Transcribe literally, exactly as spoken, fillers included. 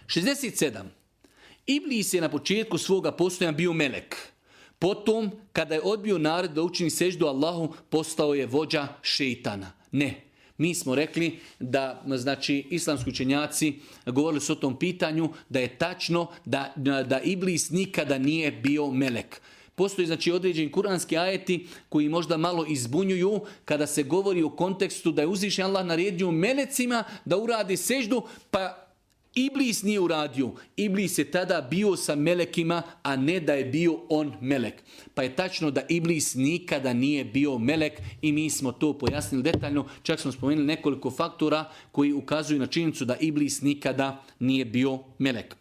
šezdeset sedam. Iblis je na početku svoga postojanja bio melek. Potom, kada je odbio narod da učini seždu Allahu, postao je vođa šeitana. Ne. Mi smo rekli da, znači, islamski učenjaci govorili su o tom pitanju, da je tačno da, da Iblis nikada nije bio melek. Postoji, znači, određeni kuranski ajeti koji možda malo izbunjuju kada se govori u kontekstu da je uzvišen Allah naredio melecima da uradi seždu, pa Iblis nije uradio. Iblis je tada bio sa melekima, a ne da je bio on melek. Pa je tačno da Iblis nikada nije bio melek i mi smo to pojasnili detaljno. Čak smo spomenuli nekoliko faktora koji ukazuju na činjenicu da Iblis nikada nije bio melek.